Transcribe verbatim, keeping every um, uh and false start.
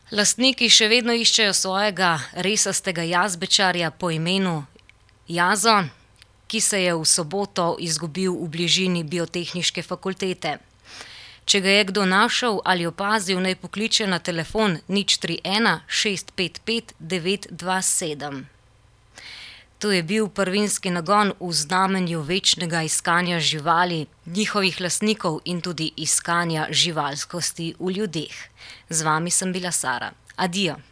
Lastniki še vedno iščejo svojega resastega jazbečarja po imenu Jazo, ki se je v soboto izgubil v bližini Biotehniške fakultete. Če ga je kdo našel ali opazil, naj pokliče na telefon nič tri ena šest pet pet devet dva sedem. To je bil Prvinski nagon v znamenju večnega iskanja živali, njihovih lastnikov in tudi iskanja živalskosti v ljudeh. Z vami sem bila Sara. Adijo.